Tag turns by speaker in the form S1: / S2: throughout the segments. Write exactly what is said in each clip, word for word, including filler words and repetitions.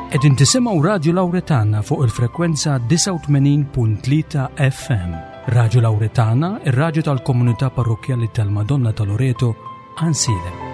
S1: Qegħdin tisimgħu Radio Lauretana fuq il-frekwenza disgħa u tmenin punt tlieta F M. Radio Lauretana, ir-radju tal-komunità parrokkjali tal-Madonna ta' Loreto, Għajnsielem.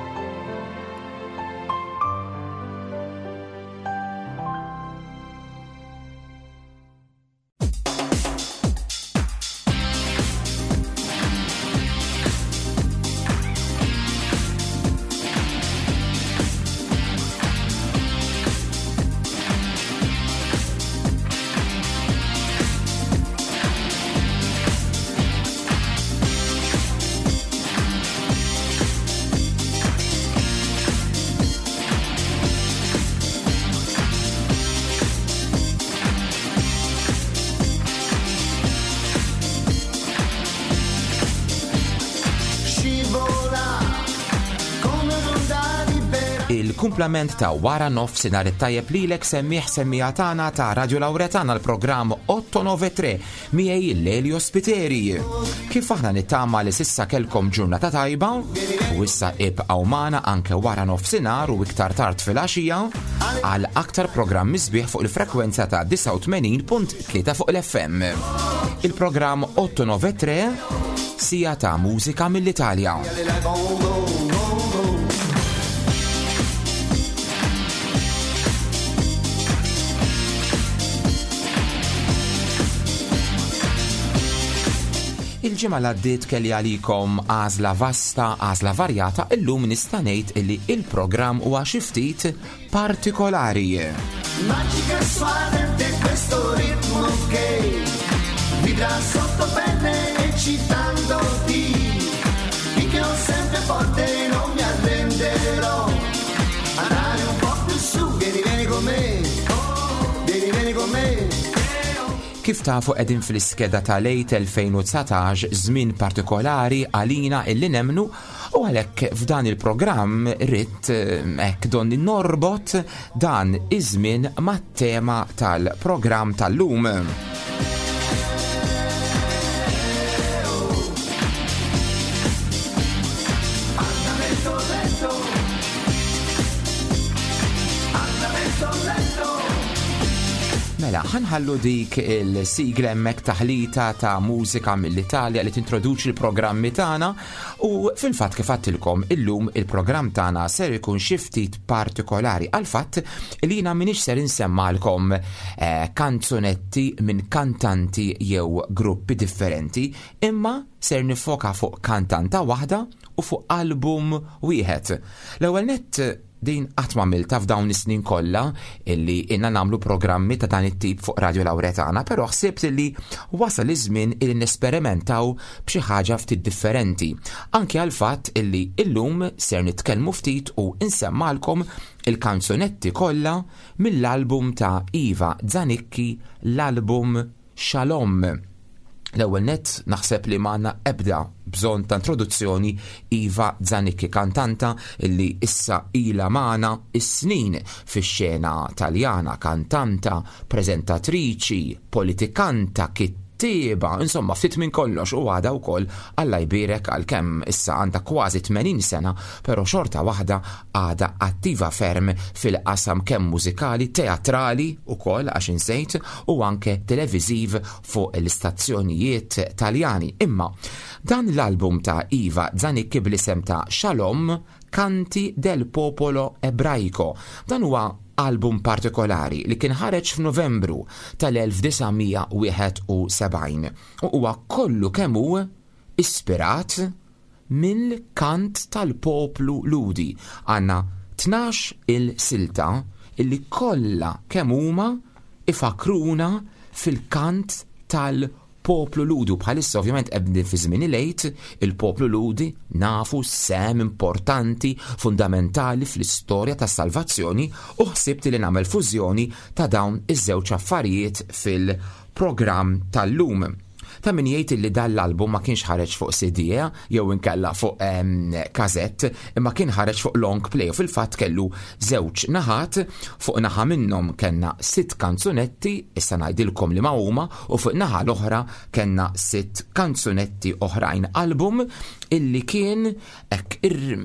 S2: Il-kumplament ta' wara nofsinhar it-tajjeb lilek semmiħ semmija tagħna ta' Radio Lauretana l-programm otto nove tre miegħi Lelio Spiteri. Kif aħna nittama li sissa kelkom ġurnata tajba u issa ibqgħu magħna anke wara nofsinhar u iktar tard filgħaxija għal aktar programmi sbieħ fuq il-frekwenza ta' disgħa u tmenin punt tlieta fuq l-F M. Il-programm otto nove tre sija ta' mużika mill-Italja. Il-ġimgħa li għaddiet kelli għalikom għażla vasta, għażla varjata, illum nista' ngħid illi il-programm huwa xi ftit partikolari.
S3: Magica e suadente questo ritmo che vibra sotto pelle eccitandoti, finché ho sempre forte non mi arrenderò. Andare un po' più su, vieni, vieni con me, vieni, vieni con me.
S2: Kif tafu qegħdin fl-iskeda tal-lejt elfejn u dsatax, żmien partikolari għalina illi nemnu, u għalhekk f'dan il-programm rrid, eh, hekk donni norbot dan iż-żmien mat-tema tal-programm tal-lum. Mela, ħanħallu dik il-sigla hemmhekk taħlita ta' mużika mill-Italja li tintroduċi l-programmi tagħna, u fil-fatt kif għedtilkom illum il-programm tagħna ser ikun xi ftit partikolari għal fatt li jiena m'iniex ser insemmalkom, eh, kanzunetti minn kantanti jew gruppi differenti, imma ser nifoka fuq kantanta waħda u fuq album wieħed. L-ewwel nett din qatt ma għamiltha f'dawn is-snin kollha illi inna nagħmlu programmi ta' dan it-tip fuq Radio Lauretana, però ħsibt illi wasal iż-żmien illi nesperimentaw b'xi ħaġa ftit differenti. Anke għal fatt illi illum ser nitkellmu ftit u insemmalkom il-kanzunetti kollha mill-album ta' Iva Zanicchi, l-album Shalom. L-ewwel nett naħseb li m'għandna ebda bżonn ta' introduzzjoni. Iva Zanicchi, kantanta illi issa ilha magħna is-snin fix-xena Taljana, kantanta, preżentatriċi, politikanta, kittieba, insomma ftit minn kollox, u għadha wkoll Alla jbierek għalkemm issa għandha kważi tmenin sena, però xorta waħda għadha attiva ferm fil-qasam kemm mużikali, teatrali wkoll għax insejt, u anke televiżiv fuq l-istazzjonijiet Taljani. Imma dan l-album ta' Iva Zanicchi bl-isem ta' Shalom, Canti del Popolo Ebraico. Dan huwa album partikolari li kien ħareġ f'Novembru tal-elf disa' mija wieħed u sebgħin u huwa kollu kemm hu ispirat mill-kant tal-poplu Ludi. Għandna tnax il-silta illi kollha kemm huma ifakruna fil-kant tal-poplu Ludu. Bħalissa ovvjament qegħdin fi żmien il-Għid, il-poplu Ludi nafu sem importanti, fundamentali fl-istorja tas-salvazzjoni, u ħsibt li nagħmel fużjoni ta' dawn iż-żewġ affarijiet fil-programm tal-lum. Ta' min jgħid li dan l-album ma kienx ħareġ fuq C D jew inkella fuq, ehm, kazett, imma kien ħareġ fuq long play, u fil-fatt kellu żewġ naħat. Fuq naħa minnhom kellna sitt kanzunetti, issa ngħidilkom li ma huma, u fuq naħa l-oħra kellna sitt kanzunetti oħrajn. Album illi kien hekk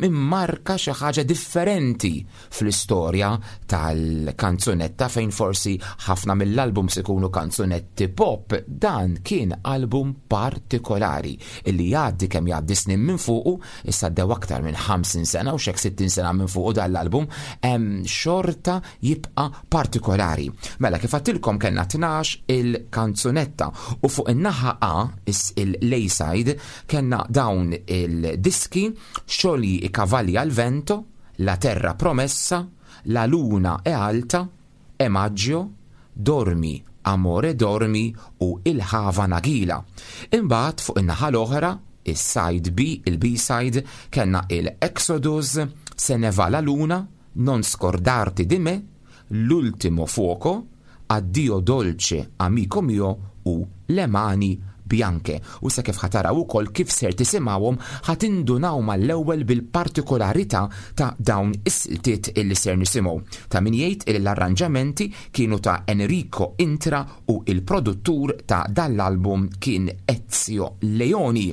S2: immarka xi ħaġa differenti fl-istorja tal-kanzunetta, fejn forsi ħafna mill-albums ikunu kanzunetti pop. Dan kien album partikolari illi jgħaddi kemm jgħaddi snin minn fuqu, issa għaddew aktar minn ħamsin sena u xek sittin sena minn fuqu dan l-album, hemm xorta jibqa' partikolari. Mela kif għattilkom kellna tnax il-kanzunetta u fuq in-naħa A, il-A-side, kellna dawn il-diski: Sciogli i cavalli al vento, La terra promessa, La luna è alta, È maggio, Dormi, amore dormi u Il-Hava Nagila. Imbagħad fuq in-naħa l-oħra, is-side B, il-B-side, kellna il-Exodus, Se ne va la luna, Non scordarti di me, L'ultimo fuoco, Addio dolce amico mio u Le mani bianche. U sa kif ħa taraw ukoll kif ser tisimgħuhom ħa tindunaw mal-ewwel bil-partikolarità ta' dawn is-siltiet illi ser nisimgħu. Ta' min jgħid illi l-arranġamenti kienu ta' Enrico Intra u il-produttur ta' dan l-album kien Ezio Leoni.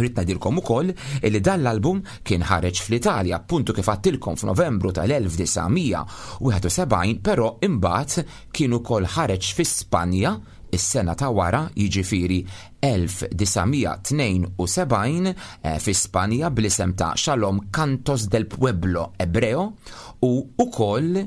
S2: Rrid ngħidilkom ukoll illi dan l-album kien ħareġ fl-Italja, appuntu kif għattilkom f'Novembru tal-elf disa' mija u wieħed u sebgħin, però imbagħad kien ukoll ħareġ fi Spanja is-sena ta' wara, jiġifieri elf disa' mija tnejn u sebgħin, eh, fi Spanja bl-isem ta' Shalom Cantos del Pueblo Ebreo, u ukoll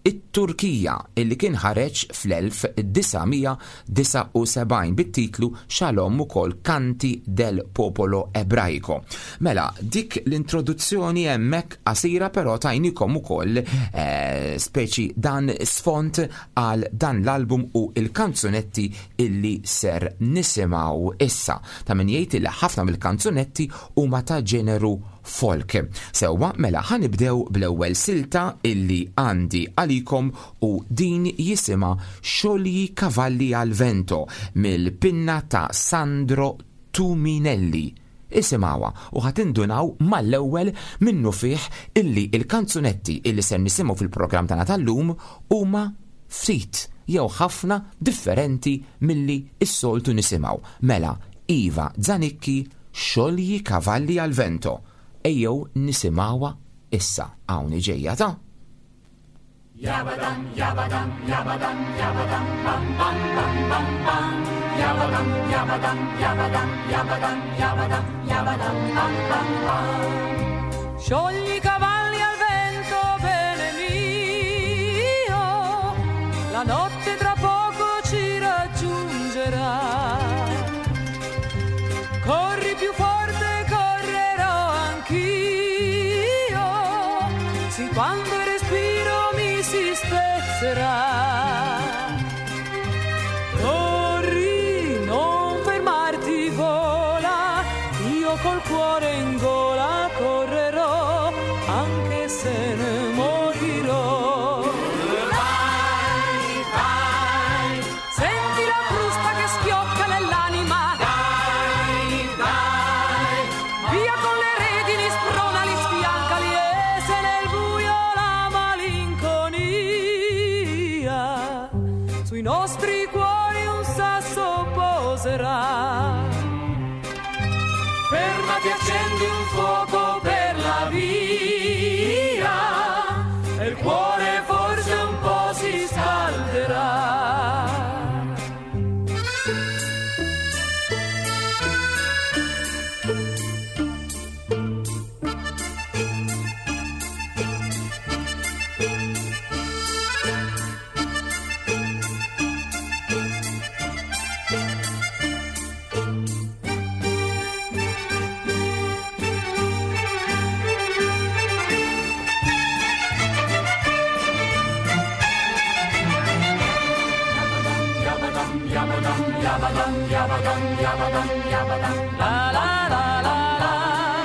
S2: it-Turkija illi kien ħareġ fl-elf disa' mija disgħa u sebgħin bit-titlu Shalom ukoll Canti del Popolo Ebraico. Mela, dik l-introduzzjoni hemmhekk qasira, però tajnikom ukoll eh, speċi dan sfont għal dan l-album u il-kanzunetti illi ser nisimgħu issa. Ta' min jgħid li ħafna mill-kanzunetti huma ta' ġeneru folk. Sewwa, mela ħa nibdew bl-ewwel silta illi għandi għalikom u din jisimha Sciogli Cavalli al Vento mill-pinna ta' Sandro Tuminelli. Isimgħuha u ħa tindunaw mal-ewwel minnu fih illi il-kanzunetti illi ser nisimgħu fil-programm tagħna tal-lum huma ftit jew ħafna differenti milli s-soltu nisimgħu. Mela, Iva Zanicchi, Sciogli Cavalli al Vento. Ejjew nisimgħuha issa, hawn ġejja ta'
S3: Yabadam, yabadam, yabadam, yabadam, bam, bam, bam, bam, bam. Yabadam, yabadam, yabadam, yabadam, yabadam, yabadam, bam, bam, bam.
S4: Sciogli i cavalli al vento, bene mio, la notte tra poco ci raggiungerà. Corri più forte, correrò anch'io, sin quando il respiro mi si spezzerà. Corri, non fermarti, vola, io col cuore in gola correrò, anche se ne morirò.
S3: Vai, vai,
S4: Senti la frusta che schiocca nell'anima,
S3: dai, dai,
S4: via con le redini, spronali, sfiancali, e se nel buio la malinconia sui nostri cuori un sasso poserà. Fermati, accendi un fuoco per la via e il cuore forse un po' si scalderà.
S3: Yabadam, yabadam, yabadam, yabadam,
S4: La la la la la,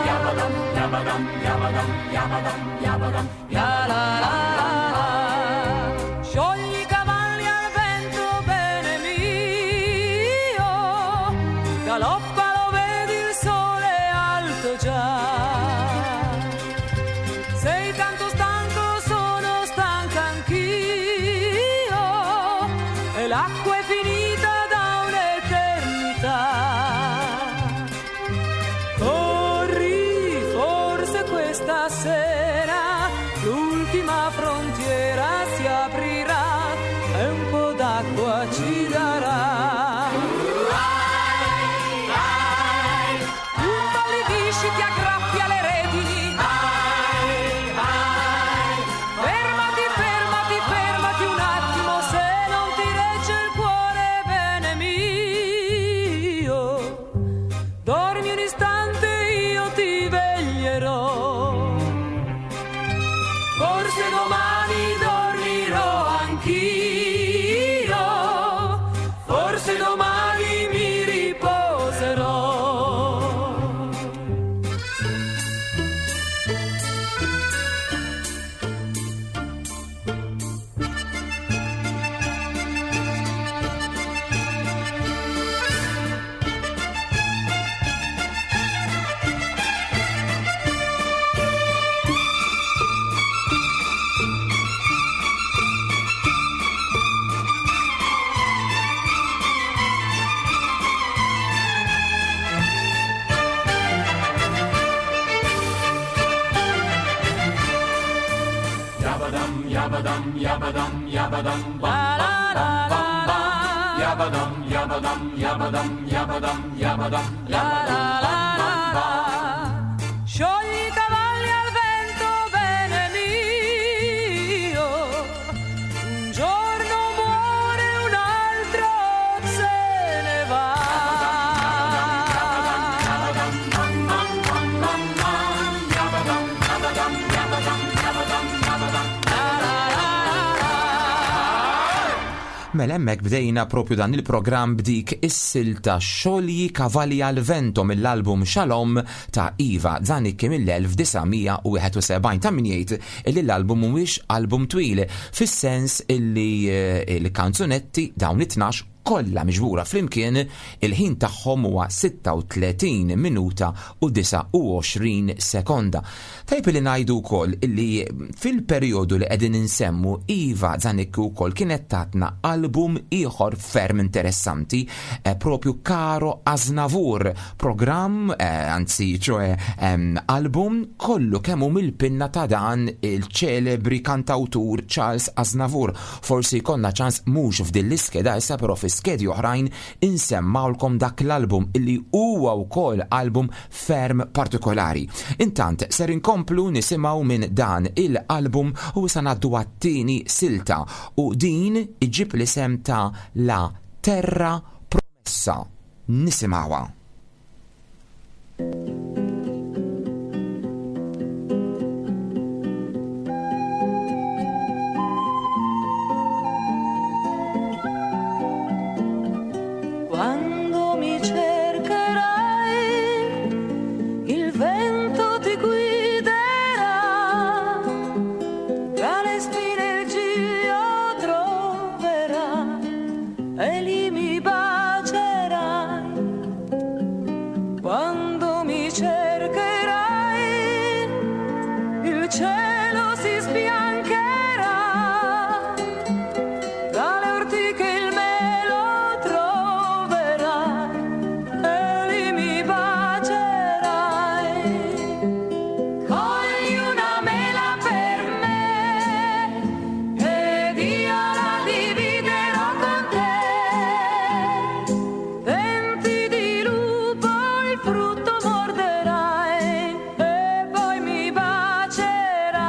S3: yabadam, yabadam, yabadam, yabadam, yabadam,
S4: la la la la la. Sciogli i cavalli al vento, bene mio, galoppa, lo vedi il sole è alto già. Sei tanto stanco, sono stanca anch'io, e l'acqua è finita da un'eternità. Corri, L'ultima frontiera si aprirà e un po' d'acqua ci darà. Un pallivisci ti aggrappi alle redini. Fermati, fermati, fermati un attimo, se non ti regge il cuore, bene mio. Dormi un istante, io ti veglierò. Forse domani dormirò anch'io, forse domani mi riposerò.
S5: Yabadum, yabadum, yabadum, bam, bam, bam, bam, bam. Yabadum, yabadum, yabadum, yabadum, yabadum, yabadum, bam, bam, bam.
S4: Sciogli i cavalli al vento, bene mio. Un giorno muore, un altro se ne va.
S2: Mela hemmhekk bdejna propju dan il-programm b'dik is-silta Xolji Cavalli al Vento mill-album Shalom ta' Iva Zanicchi mill-elf disa' mija u wieħed u sebgħin. Ta' min jgħid li l-album mhuwiex album twil, fis-sens illi, eh, il-kanzunetti dawn it-tnax kollha miġbura flimkien il-ħin tagħhom huwa sitta u tletin minuta u disa u għoxrin sekonda. Tajb li ngħidu wkoll illi fil-perjodu li qegħdin insemmu Iva Zanicchi wkoll kienet tatna album ieħor ferm interessanti, eh, propju Caro Aznavour, programm, eh, anzi ċoe, ehm, album kollu kemm hu mill-pinna ta' dan il-ċelebri kantawtur Charles Aznavour. Forsi jkollna ċans mhux f'din l-iskeda issa, però fi skedi oħrajn insemmawlkom dak l-album illi huwa wkoll album ferm partikolari. Intant ser inkomplu nisimgħu minn dan il-album u sa ngħaddu għat-tieni silta u din iġib l-isem ta' La Terra Promessa. Nisimgħuha.
S4: Quando mi cercherai, il vento ti guiderà, tra le spine il giglio troverà e lì mi bacerai. Quando mi cercherai, il cielo si sbiancherà, tra le ortiche il melo troverai e lì mi bacerai. Cogli una mela per me ed io la dividerò con te. Denti di lupo il frutto morderai e poi mi bacerai.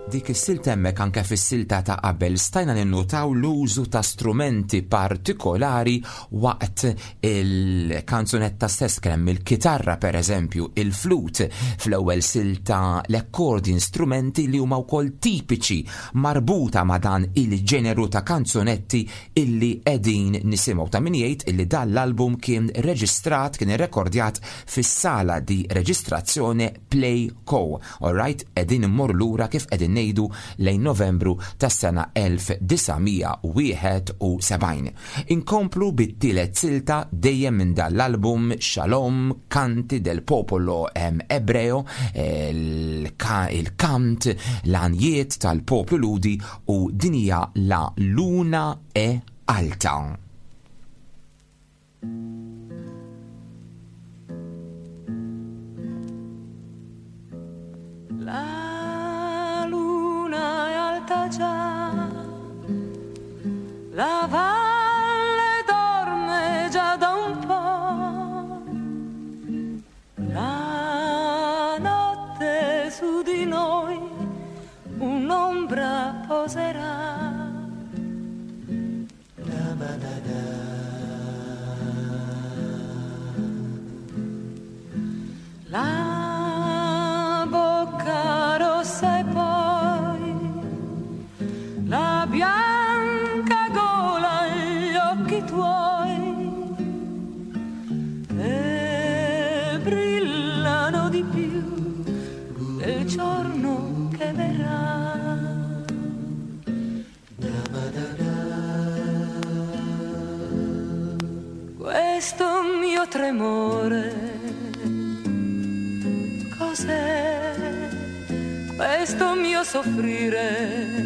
S2: Dik is-silta hemmhekk anke fis-silta ta' qabel stajna ninnutaw l-użu ta' strumenti partikolari waqt il-kanzunetta stess, kemm il-kitarra pereżempju, il-flut, fl-ewwel silta l-accordion, strumenti li huma wkoll tipiċi marbuta ma' dan il-ġeneru ta' kanzunetti illi qegħdin nisimgħu. Ta' min jgħid illi dan l-album kien reġistrat, kien irrekordjat fis-sala di reġistrazzjoni Play Co. All right, qegħdin immorru lura kif qegħdin ngħidu lejn Novembru tas-sena elf disa' mija wieħed u sebgħin. Inkomplu bit-tielet silta dejjem minn dan l-album Shalom, Canti del Popolo Ebreo, il-kant, l-għanjiet tal-poplu Ludi, u din hija La Luna e Alta.
S4: La luna è alta già, la valle dorme già da un po', la notte su di noi un'ombra poserà. La bocca rossa e poi la bianca gola e gli occhi tuoi che brillano di più del giorno che verrà. Questo mio tremore cos'è, questo mio soffrire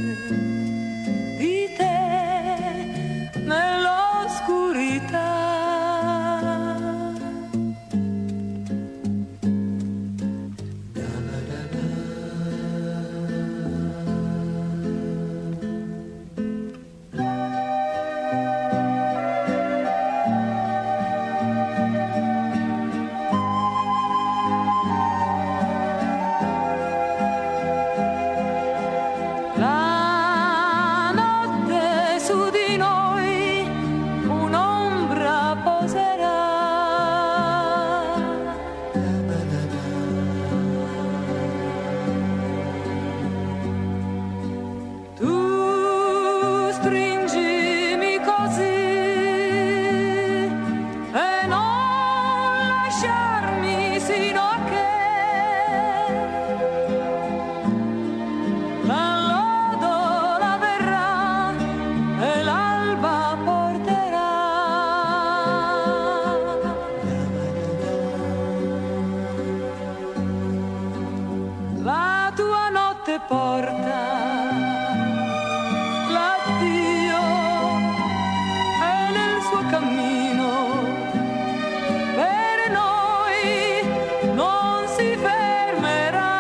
S4: di te nell'oscurità? La notte su di noi un'ombra poserà. Tu stringimi così e non lasciarmi sino a che la lodola verrà e l'alba porterà. La tua notte porta l'addio e nel suo cammino per noi non si fermerà.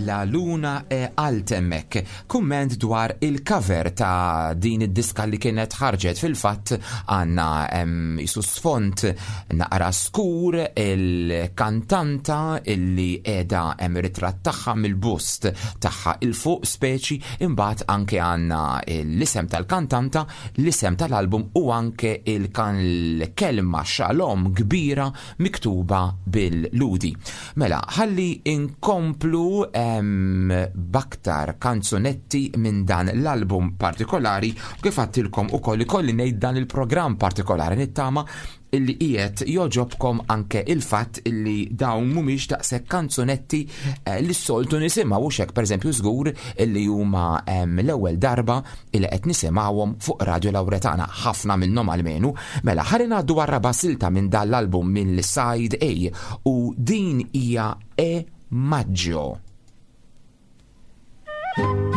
S2: La Luna e Altemmek, kumment dwar il-cover ta' din id-diska li kienet ħarġet. Fil-fatt għanna jisu sfont naqra skur, il-kantanta illi qiegħda hemm ritratt tagħha mill-bust tagħha il-fuq speċi, imbagħad anke għandna l-isem tal-kantanta, l-isem tal-album u anke il-kelma Shalom kbira miktuba bil-Ludi. Mela, ħalli inkomplu baktar kanzunetti minn dan l-album partikolari, u kif għattilkom ukoll ikolli ngħid dan il-programm partikolari nittama illi qiegħed joġobkom anke il-fatt illi dawn mhumiex daqshekk kanzunetti eh, li s-soltu nisimgħu, u xek pereżempju żgur illi huma l-ewwel darba illi qed nisimgħuhom fuq Radio Lauretana, ħafna minnhom almenu. Mela ħalli ngħaddu għar-raba' silta minn dan l-album minn Side A, u din hija E Maggio.
S4: Thank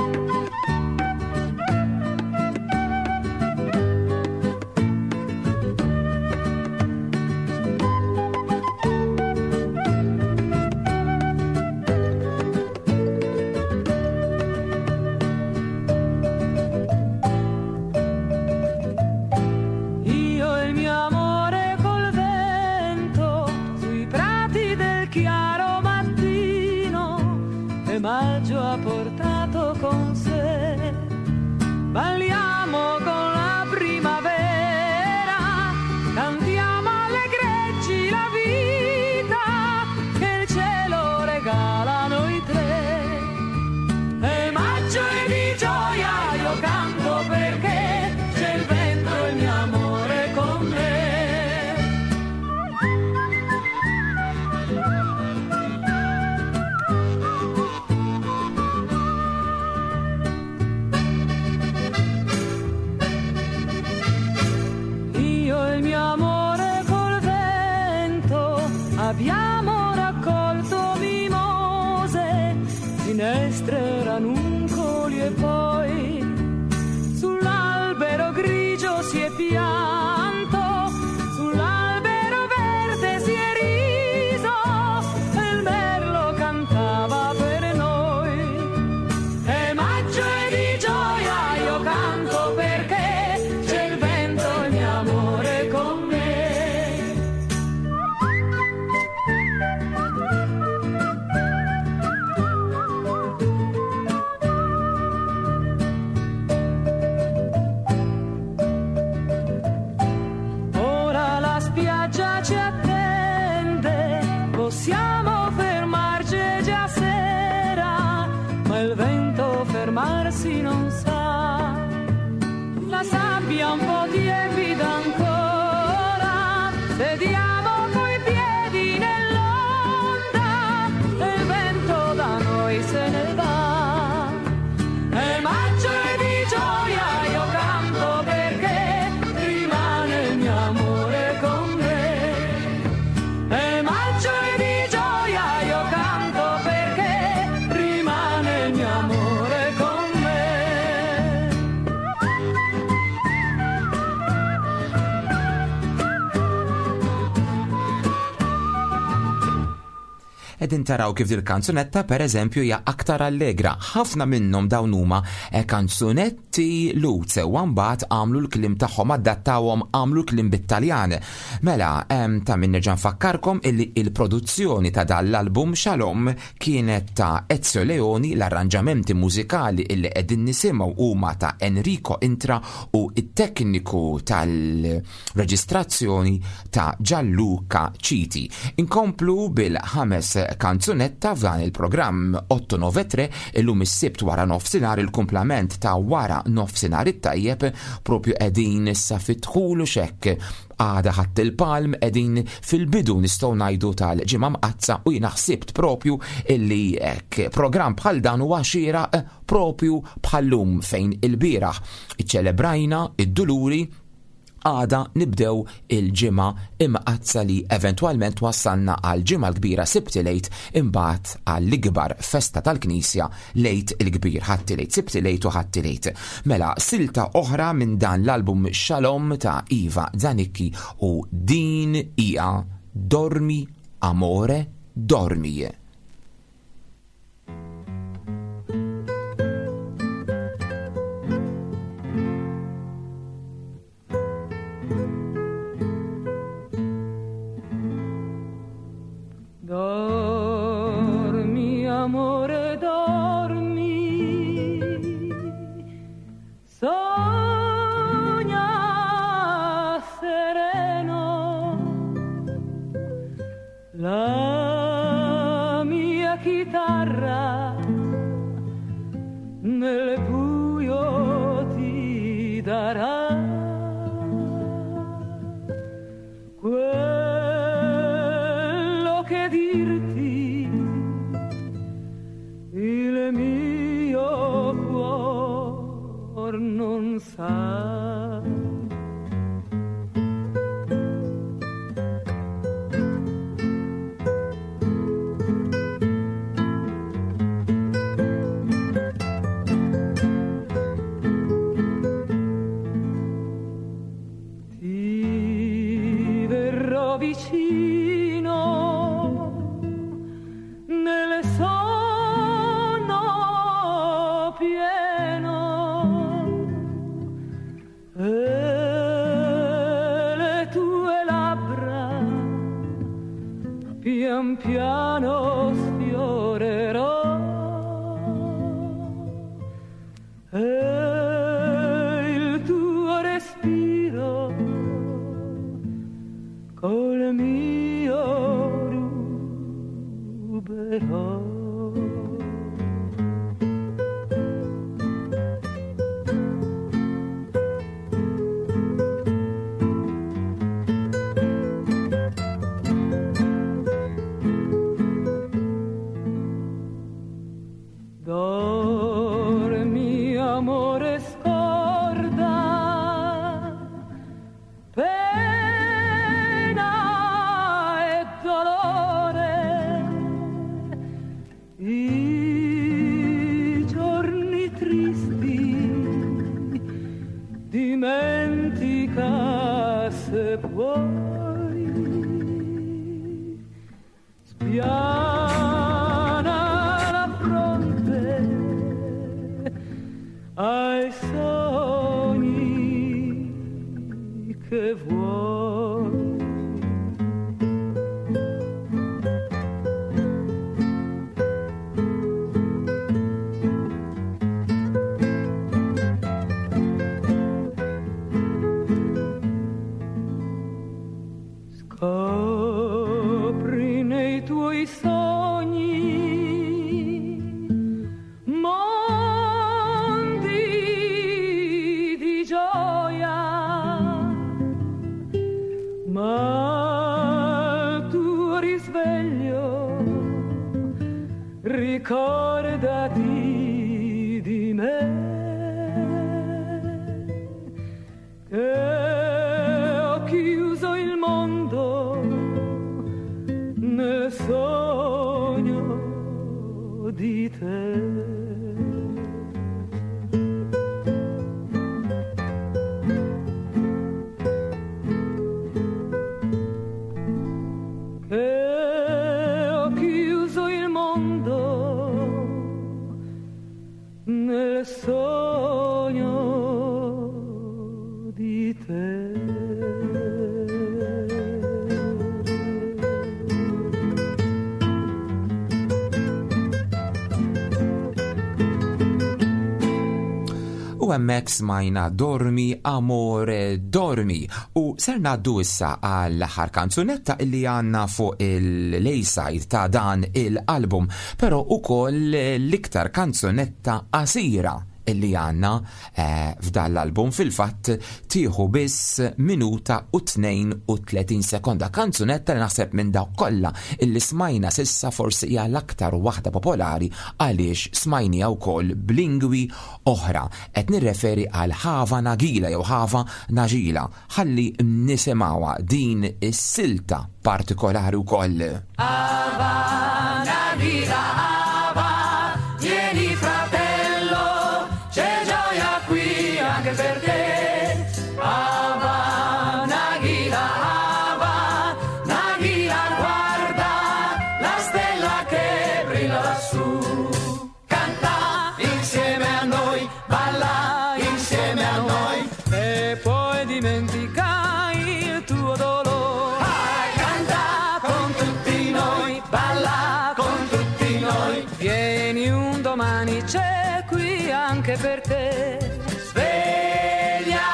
S4: Abbiamo raccolto mimose, finestre, ranuncoli e poi sull'albero grigio si è pianto, sull'albero verde si è riso e il merlo cantava per noi. E maggio è di gioia, io canto perché c'è il vento e mio amore con me. Ora la spiaggia ci attende, possiamo fermarci è già sera, ma il vento fermarsi non sa. La sabbia un po' tiepida ancora, sediamo coi piedi nell'onda e il vento da noi se ne va. E maggio è di gioia, io canto perché rimane il mio amore con me. E maggio è di gioia, io canto perché rimane il mio amore con me.
S2: Qegħdin taraw kif dil-kanzunetta per eżempju hija aktar allegra. Ħafna minnhom dawn huma eh, kanzunetti Lhud sewwa mbagħad għamlu l-kliem tagħhom, adattawhom, għamlu l-kliem bit-Taljan. Mela, em, ta' min nerġa' nfakkarkom illi il-produzzjoni ta' dan l-album Shalom kienet ta' Ezio Leoni, l-arranġamenti mużikali illi qegħdin nisimgħu huma ta' Enrico Intra u it-tekniku tal-reġistrazzjoni ta' Gianluca Citi. Inkomplu bil-ħames kanzunetta f'dan il-programm otto nove tre illum is-Sibt wara nofsinhar, il-kumplament ta' wara nofsinhar it-tajjeb, propju qegħdin issa fit-dħul u xekk għada Ħadd il-Palm, qegħdin fil-bidu nistgħu ngħidu tal-Ġimgħa Mqaddsa, u jiena ħsibt propju illi hekk programm bħal dan huwa xieraq propju bħallum fejn il-bieraħ iċċelebrajna id-Duluri, għada nibdew il-Ġimgħa Imqaddsa li eventwalment wassalna għal Ġimgħa l-Kbira Sibt il-Għid, imbagħad għall-ikbar festa tal-Knisja Lejt il-Kbir, Ħadd il-Għid, Sibt il-Għid u Ħadd il-Għid. Mela, silta oħra minn dan l-album Shalom ta' Iva Zanicchi u din hija Dormi Amore Dormi.
S4: Dormi, amore, dormi, sogna sereno, la mia chitarra nel buio ti darà quello che dirti il mio cuor non sa. Ti verrò vicino nel sonno pieno e le tue labbra pian piano sfiorerò e il tuo respiro col mio Dimentica se puoi, spiana la fronte ai sogni che vuoi. Scopri nei tuoi sogni mondi di gioia, ma al tuo risveglio ricordati di me, che ho chiuso il mondo nel sogno di te. Che ho chiuso il mondo nel sogno di te.
S2: U hemmhekk smajna Dormi Amore Dormi, u ser ngħaddu issa għall-aħħar kanzunetta illi għandna fuq il-A-side ta' dan il-album, però ukoll l-iktar kanzunetta qasira illi għandna eh, f'dan l-album. Fil-fatt tieħu biss minuta u tnejn u tletin sekonda. Kanzunetta li naħseb minn dawk kollha illi smajna sissa forsi hija l-aktar waħda popolari għaliex smajniha wkoll b'lingwi oħra. Qed nirreferi għal Hava Nagila jew Hava Nagila. Ħalli nisimgħuha din is-silta partikolari wkoll.
S5: Hava Nagila, Hava, vieni fratello, c'è gioia qui anche per te. Hava Nagila, Hava Nagila, guarda la stella che brilla lassù. Canta insieme a noi, balla insieme a noi
S4: e poi dimentica il tuo dolore.
S5: Ah, canta con tutti noi, balla con tutti noi.
S4: Vieni un domani, c'è qui anche per te.
S5: Sveglia,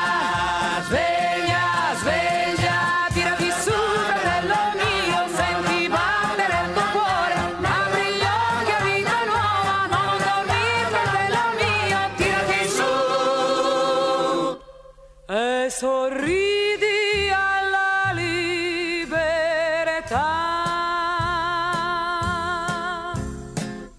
S5: sveglia, sveglia,
S4: tirati su fratello mio, senti battere il tuo cuore, apri gli occhi a vita nuova, non dormire fratello mio, tirati su e sorridi alla libertà.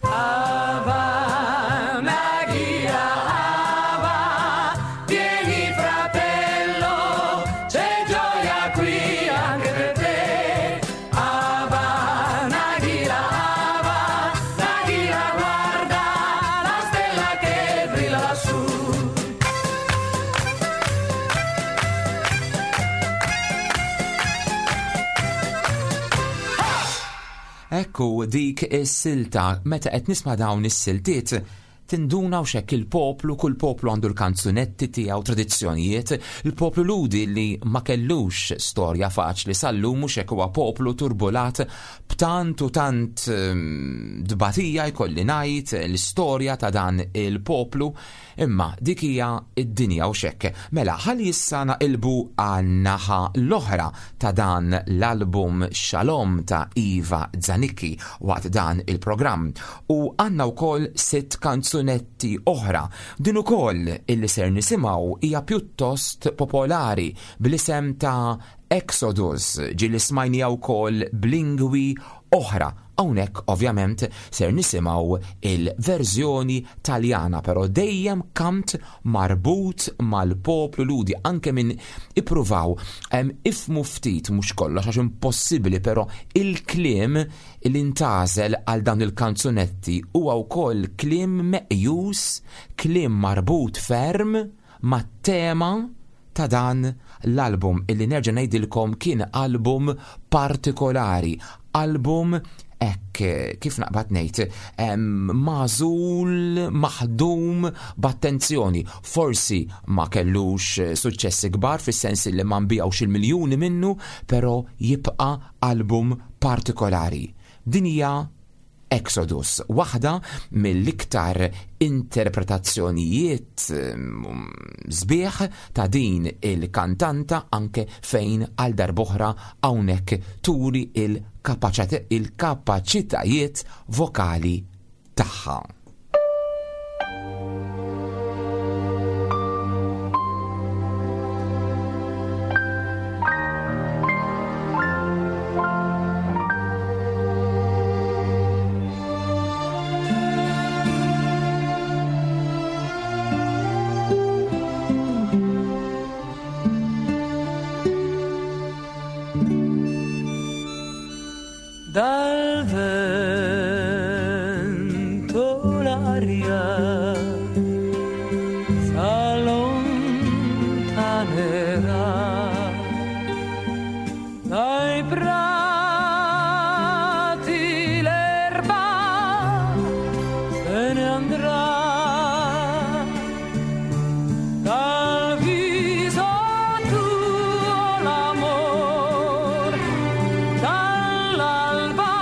S4: Hava Nagila, Hava,
S5: vieni fratello, c'è gioia qui anche per te. Hava Nagila, Hava Nagila, guarda la stella che brilla lassù.
S2: Ekku dik is-silta, meta qed nisma' dawn is-siltiet tinduna u xekk il-poplu, kull poplu għandu l-kanzunetti tiegħu, tradizzjonijiet. Il-poplu Lhudi li ma kellux storja faċli sal-lum mhux hekk, huwa poplu turbulat b'tant u tant, ehm, dbatija, jkolli ngħid l-istorja ta' dan il-poplu, imma dik hija id-dinja u xekk. Mela ħalli issa naqilbu għan-naħa l-oħra ta' dan l-album Shalom ta' Iva Zanicchi waqt dan il-programm, u għandna wkoll sitt kanzunetti oħra. Din ukoll illi ser nisimgħu hija pjuttost popolari bl-isem ta' Exodus, ġieli smajnija wkoll b'lingwi oħra. Hawnhekk ovvjament ser nisimgħu il-verżjoni Taljana, però dejjem kant marbut mal-poplu Lhudi, anke minn ippruvaw, em, ifmu ftit, mhux kollox għax impossibbli, però il-kliem li ntażel għal dawn il-kanzunetti huwa wkoll kliem meqjus, kliem marbut ferm mat-tema ta' dan l-album illi nerġa' ngħidilkom kien album partikolari, album hekk kif naqbad ngħid magħżul, maħdum b'attenzjoni. Forsi ma kellux suċċessi kbar fis-sens li ma nbigħux il-miljuni minnu, però jibqa' album partikolari. Din hija Exodus, waħda mill-iktar interpretazzjonijiet sbieħ ta' din il-kantanta, anke fejn għal darb'oħra hawnhekk turi il-kapaċitajiet vokali tagħha.
S4: Dal vento l'aria s'allontanerà, dai prati l'erba se ne andrà, dal viso tuo l'amor, dall'alba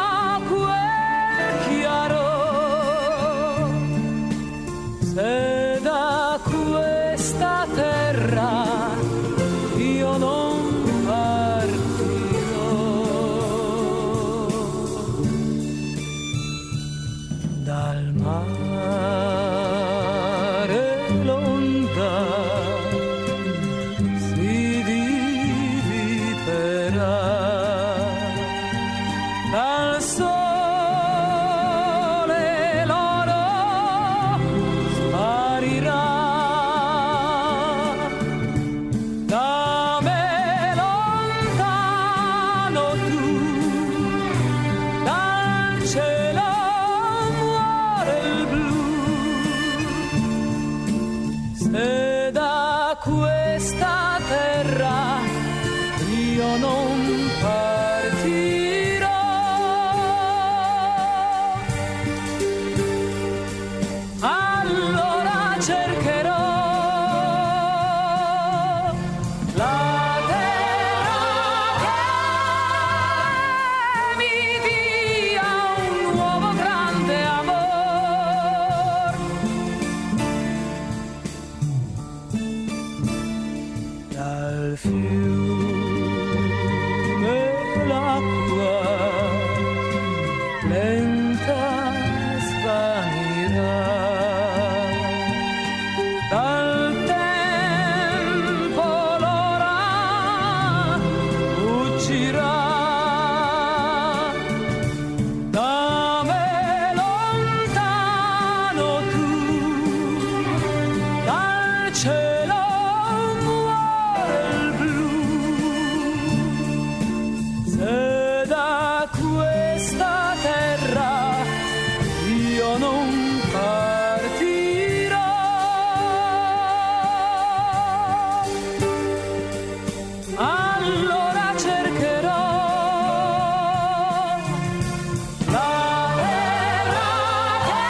S4: quel chiaro, se da questa terra io non partirò. Dal mare l'onda si dividerà, dal sole l'oro sparirà, da me lontano tu, dal cielo muore il blu, se da questa terra io non partirò. Allora cercherò la terra che mi dia un nuovo grande amor. Dal fiume l'acqua lenta svanirà, dal tempo l'ora fuggirà, da me lontano tu, dal cielo muore il blu, se da questa terra io non partirò. Allora cercherò la terra che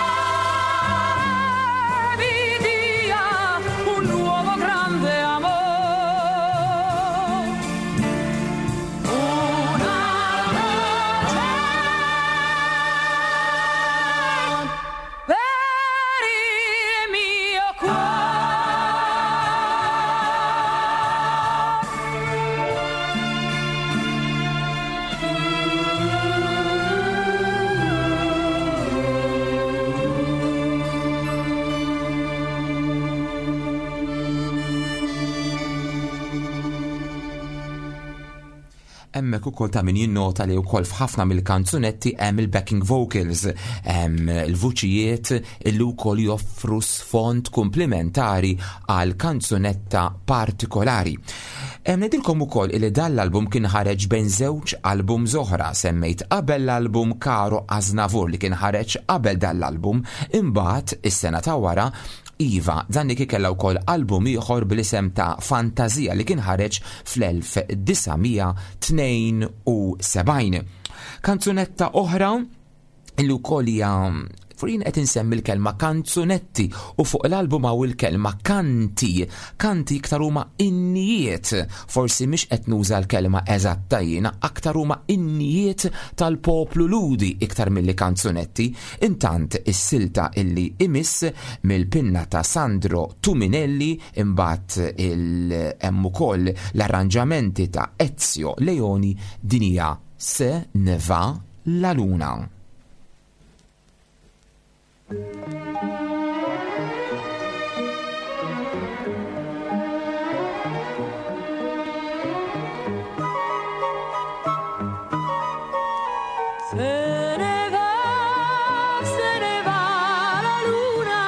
S4: mi dia un nuovo grande amor, una luce per il mio cuore.
S2: Hemmhekk ukoll ta' min jinnota li wkoll f'ħafna mill-kanzunetti hemm il-backing vocals, hemm il-vuċijiet illi wkoll joffru sfond komplementari għal kanzunetta partikolari. Ngħidilkom ukoll illi dan l-album kien ħareġ bejn żewġ album oħra, semmejt qabel l-album Caro Aznavour li kien ħareġ qabel dan l-album, imbagħad is-sena ta' wara Iva Zanicchi kellha wkoll album ieħor bl-isem ta' Fantasia li kien ħareġ fl-elf disa' mija tnejn u sebgħin. Kanzunetta oħra illi wkoll hija furin qed insemmi l-kelma kanzunetti u fuq l-album hawn il-kelma kanti. Kanti iktar huma innijiet, forsi mhix qed nuża l-kelma eżatta jiena, aktar huma innijiet tal-poplu Ludi iktar milli kanzunetti. Intant is-silta illi imiss mill-pinna ta' Sandro Tuminelli, imbagħad il hemm ukoll l-arranġamenti ta' Ezio Leoni, din hija Se ne va la luna.
S4: Se ne va, se ne va la luna,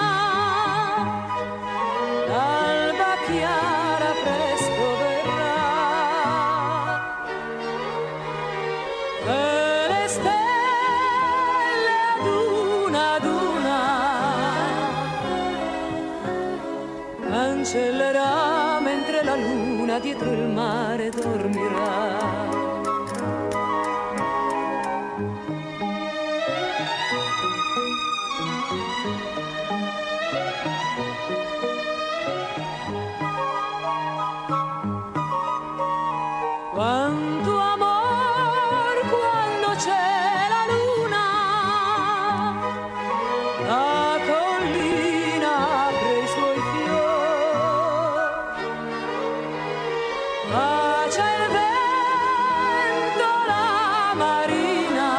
S4: l'alba chiara presto verrà, e le stelle ad una ad una cancellerà mentre la luna dietro il mare dormirà. Quanto amor quando c'è la luna, la collina apre i suoi fior, bacia il vento la marina,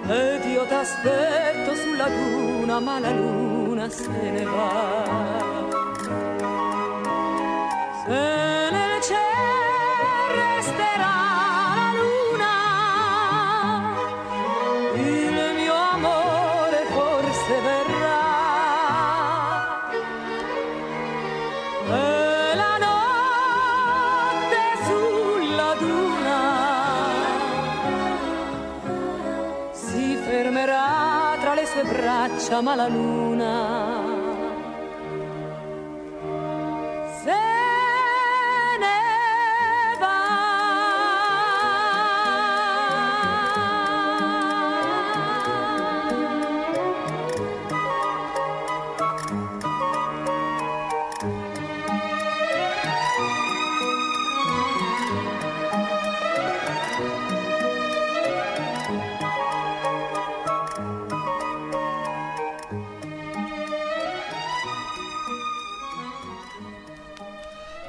S4: ed io t'aspetto sulla duna, ma la luna se ne va. Se nel cielo resterà la luna, il mio amore forse verrà. E la notte sulla duna si fermerà tra le sue braccia, ma la luna se ne va.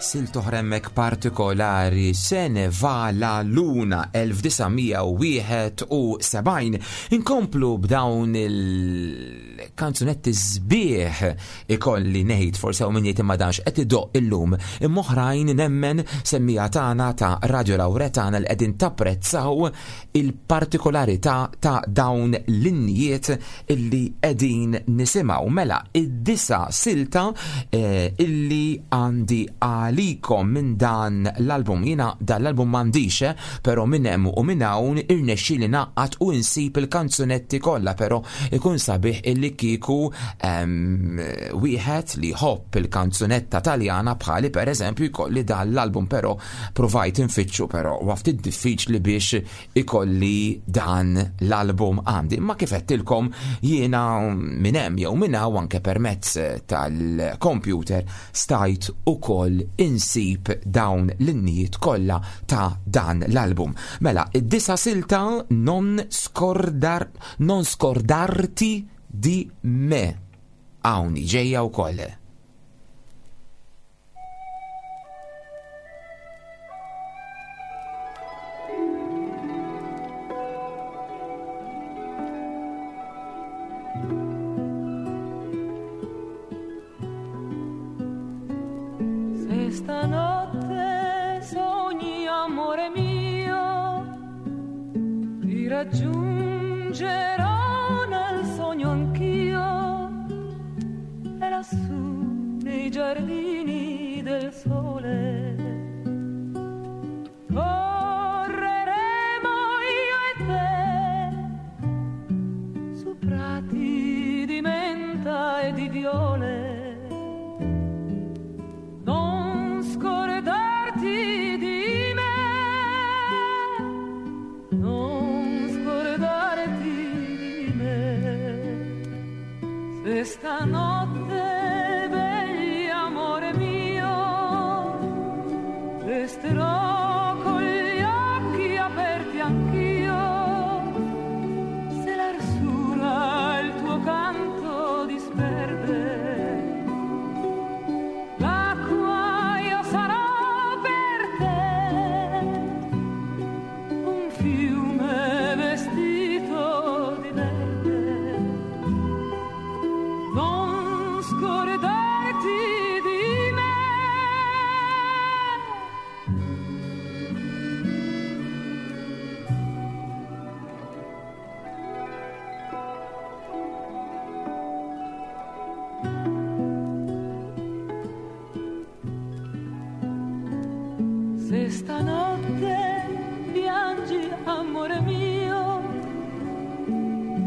S2: Silt oħra hemmhekk partikolari, Se ne va la luna elf disa' mija u wieħed u sebgħin. Inkomplu b'dawn il-kanzunetti sbieħ ikolli ngħid, forsi hawn min jgħid imma danx qed idoqq illum, imma oħrajn nemmen semmija tagħna ta' Radio Lauretana li qegħdin tapprezzaw il-partikolarità ta' dawn l-innijiet illi qegħdin nisimgħu. Mela id-disa silta, eh, illi għandi għalikom minn dan l-album. Jiena dan l-album m'għandix, eh, però minn hemm u minn hawn irnexxieli naqgħad u nsib il-kanzunetti kollha, però ikun sabiħ illi kieku, ehm, wieħed li jħobb il-kanzunetta Taljana bħali pereżempju jkolli dan l-album, però provajt infittxu, però huwa ftit diffiċli biex ikolli dan l-album għandi. Imma kif għedtilkom jiena minn hemm jew minn hawn anke permezz tal-computer stajt ukoll insib dawn l-innijiet kollha ta' dan l-album. Mela, id-disa silta non scordar, non scordarti di me. Hawn ġejja wkoll.
S4: Se stanotte sogni, amore mio, ti raggiungerò nel sogno anch'io, e lassù nei giardini del sole correremo io e te su prati di me. Se stanotte piangi, amore mio,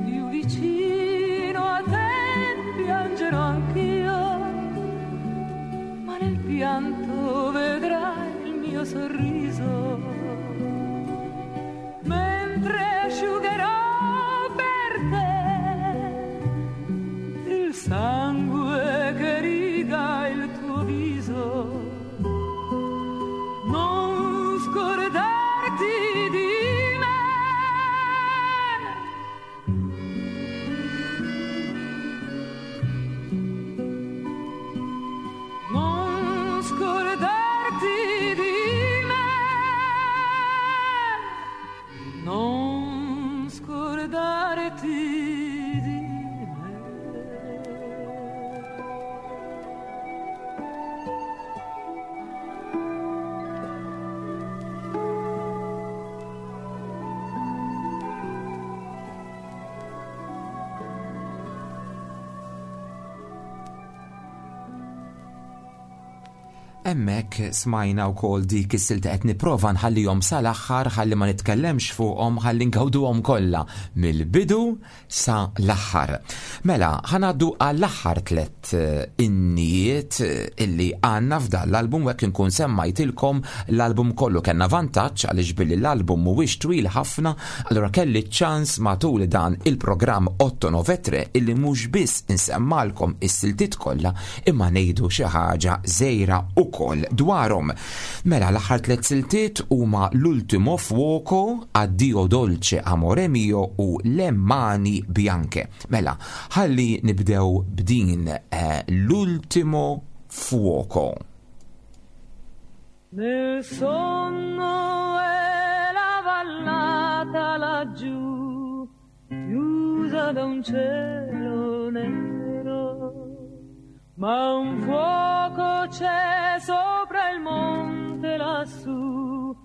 S4: più vicino a te piangerò anch'io, ma nel pianto vedrai il mio sorriso, mentre asciugherò per te il sangue che riga il tuo viso. Non scordarti di me. Non scordarti di me. Non scordarti di me.
S2: Hemmhekk smajna wkoll dik is-silta qed nipprova nħallihom sal-aħħar ħalli ma nitkellemx fuqhom ħalli ngawduhom kollha mill-bidu sa l-aħħar. Mela, ħa ngħaddu għall-aħħar tliet innijiet illi għandna f'dan l-album, u hekk inkun semmajtilkom l-album kollu. Kellna vantaġġ għaliex billi l-album mhuwiex twil ħafna, allura kelli ċans matul dan il-programm otto nove tre illi mhux biss insemmalkom is-siltiet kollha imma ngħidu xi ħaġa żgħira ukoll dwarhom. Mela, l-aħħar tliet siltiet huma L'ultimo fuoco, Addio dolce amore mio u Le mani bianche. Mela, ħalli nibdew b'din, eh, L'ultimo fuoco.
S4: Nel sonno è la vallata laggiù, chiusa da un cielo nero, ma un fuoco c'è sopra il monte lassù,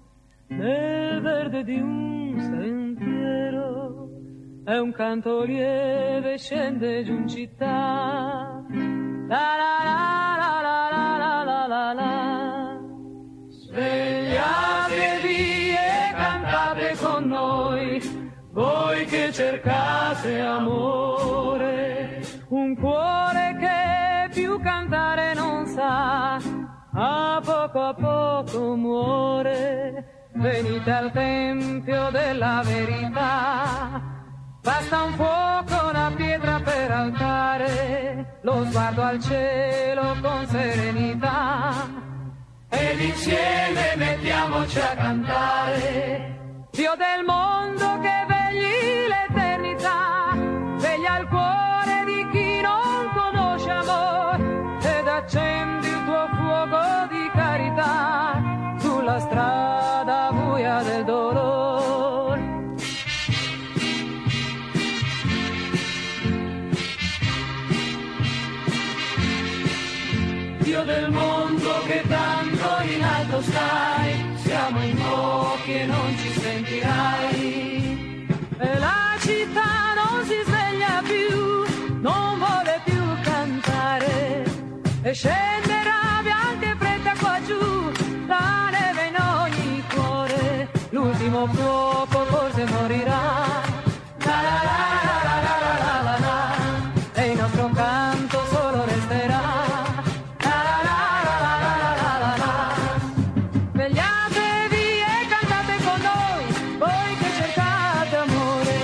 S4: nel verde di un sentiero, e un canto lieve scende giù in città. La la la la la la la la la. Svegliatevi e cantate con noi, voi che cercate amore, un cuore che più cantare non sa, a poco a poco muore. Venite al tempio della verità, basta un fuoco, una pietra per altare, lo sguardo al cielo con serenità, ed insieme mettiamoci a cantare. Dio del mondo che vegli l'eternità, veglia il cuore di chi non conosce amor, ed accendi il tuo fuoco di carità sulla strada buia del dolor. Dio del mondo che tanto in alto stai, siamo in pochi e non ci sentirai. E la città non si sveglia più, non vuole più cantare, e scenderà bianca e fredda qua giù, la neve in ogni cuore, l'ultimo fuoco forse morirà. La la la la la la la la la, e il nostro canto solo resterà. La la la la la la la la la. Svegliatevi e cantate con noi, voi che cercate amore,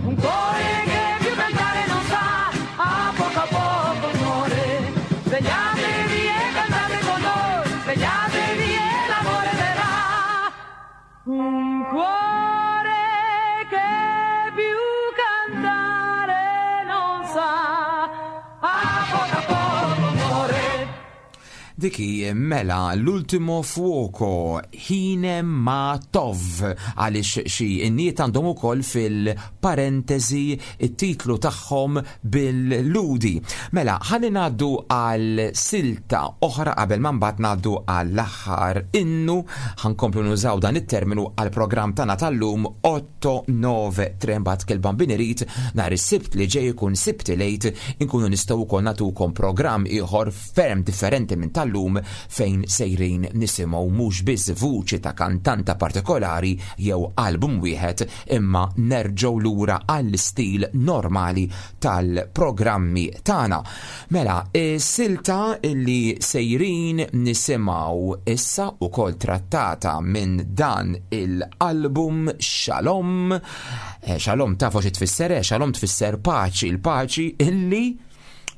S4: un cuore che più cantare non sa, a poco a poco muore. Svegliatevi e cantate con noi, svegliatevi e l'amore verrà. Un cuore che più cantare non sa, a poco a poco muore.
S2: Diki, mela, L'ultimo fuoco, Hine ma tov, għaliex xi inniet għandhom ukoll fil-parentesi it-titlu tagħhom bil-ludi. Mela, ħalli ngħaddu għal silta oħra qabel ma mbagħad ngħaddu għall-aħħar innu. Ħankomplu nużaw dan it-terminu għal programm tagħna tal-lum otto nove tre, mbagħad kelban binirid nhar is-Sibt li ġej ikun Sibt lejt inkunu nistgħu wkoll nagħtukom programm ieħor ferm differenti minn tal tal-lum fejn sejrin nisimgħu mhux biss vuċi ta' kantanta partikolari jew album wieħed, imma nerġgħu lura għall-istil normali tal-programmi tagħna. Mela, is-silta li sejrin nisimgħu issa ukoll trattata minn dan il-album Shalom. Eh, Shalom tafu xi tfisser, eh? Shalom tfisser paċi, il-paċi illi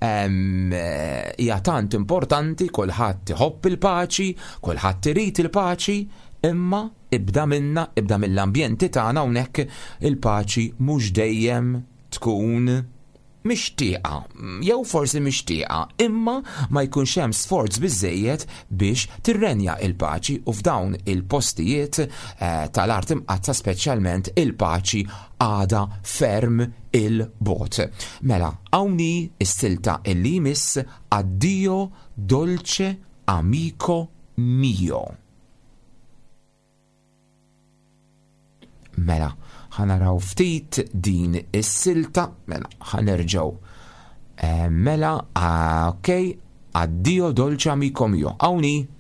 S2: hija tant importanti, kulħadd iħobb il-paċi, kulħadd irid il-paċi, imma ibda minna, ibda mill-ambjenti tagħna hawnhekk il-paċi mhux dejjem tkun mixtieqa, jew forsi mixtieqa, imma ma jkunx hemm sforz biżejjed biex tirrenja il-paċi, u f'dawn il-postijiet eh, tal-art imqatta speċjalment il-paċi għada ferm il-bot. Mela, hawnhi is-silta illi jmiss, Addio dolce amico mio. Mela, ħanaraw ftit din is-silta, mela, ħanerġgħu. Eh, mela, ah, ok, Addio dolce amico mio. Hawnhi.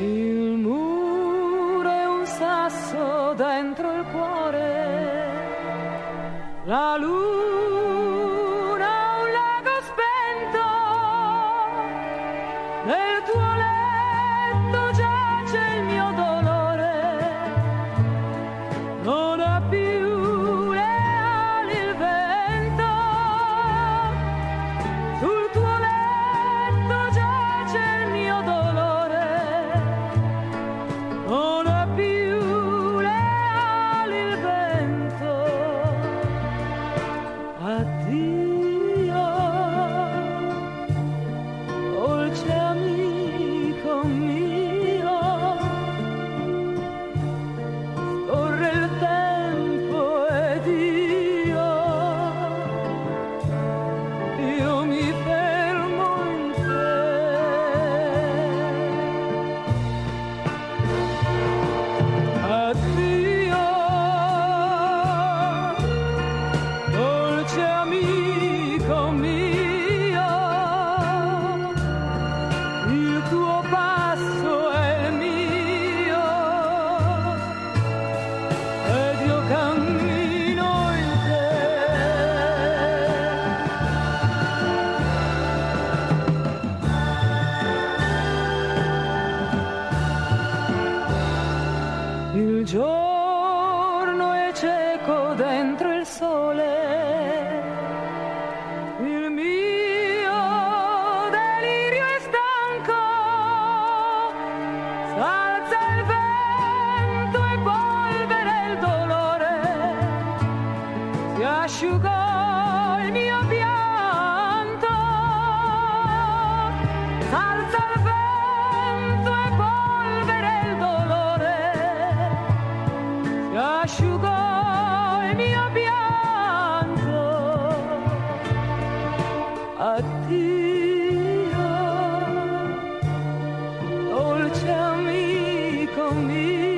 S4: Il muro è un sasso dentro il cuore, la luna un lago spento, nel tuo letto giace il mio dolore, non ha più le ali il vento, sul tuo letto giace il mio dolore, non ha più le ali il vento. Addio, dolce amico mio, scorre il tempo ed io, io mi fermo in te. Addio, dolce amico mio, il tuo passo è il mio, ed io cammino in te. Il giorno è cieco dentro il sole, il mio delirio è stanco, s'alza il vento e polvere il dolore, si asciugò il mio pianto, s'alza il vento e polvere il dolore, si asciugò il mio pianto. Addio, dolce amico mio,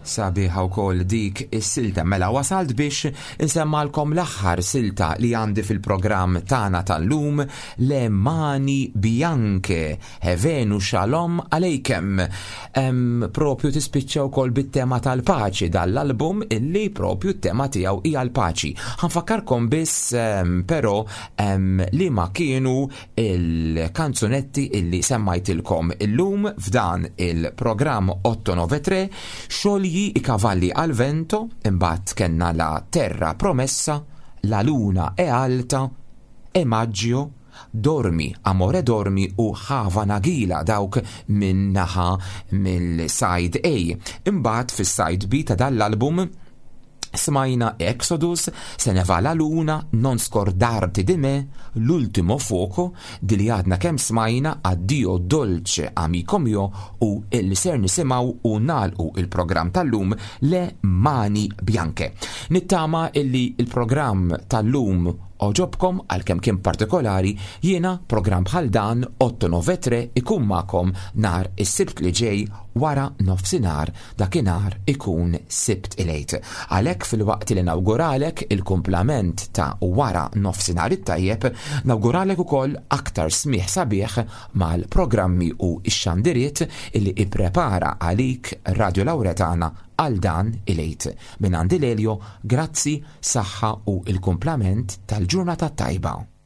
S2: Sabiħa wkoll dik is-silta. Mela wasalt biex insemmalkom l-aħħar silta li għandi fil-programm tagħna tal-lum, Le Mani Bianche, Hevenu Shalom Aleikem. Em, propju tispiċċa wkoll bit-tema tal-paċi dal-album illi propju t-tema tiegħu hija l-paċi. Ħa nfakkarkom biss em, però em, li ma kienu il-kanzunetti illi semmajtilkom illum f'dan il-programm otto nove tre: Sciogli i cavalli al vento, imbagħad kellna La Terra Promessa, La Luna è Alta, È Maggio, Dormi, Amore Dormi u Hava Nagila, dawk minn naħa mill-side A. Imbagħad fis-side B ta' dal-album smajna Exodus, Se ne va la luna, Non scordarti di me, L'ultimo fuoco, di li għadna kemm smajna, Addio dolce amico mio, u il ser nisimgħu u nagħlqu il-programm tal-lum, Le Mani Bianche. Nittama illi il-programm tal-lum għoġobkom għalkemm kien partikolari. Jiena programm bħal dan otto nove tre ikun magħkom nhar is-Sibt li ġej wara nofsinhar, dakinhar ikun Sibt il-Għid. Għalhekk, filwaqt li nawguralek il-kumplament ta' wara nofsinhar it-tajjeb, nawguralek ukoll aktar smigħ sabiħ mal-programmi u x-xandiriet illi ipprepara għalik Radio Lauretana għal dan il-Għid. Minn għandi Lelio, grazzi, saħħa u il-kumplament tal-ġurnata tajba.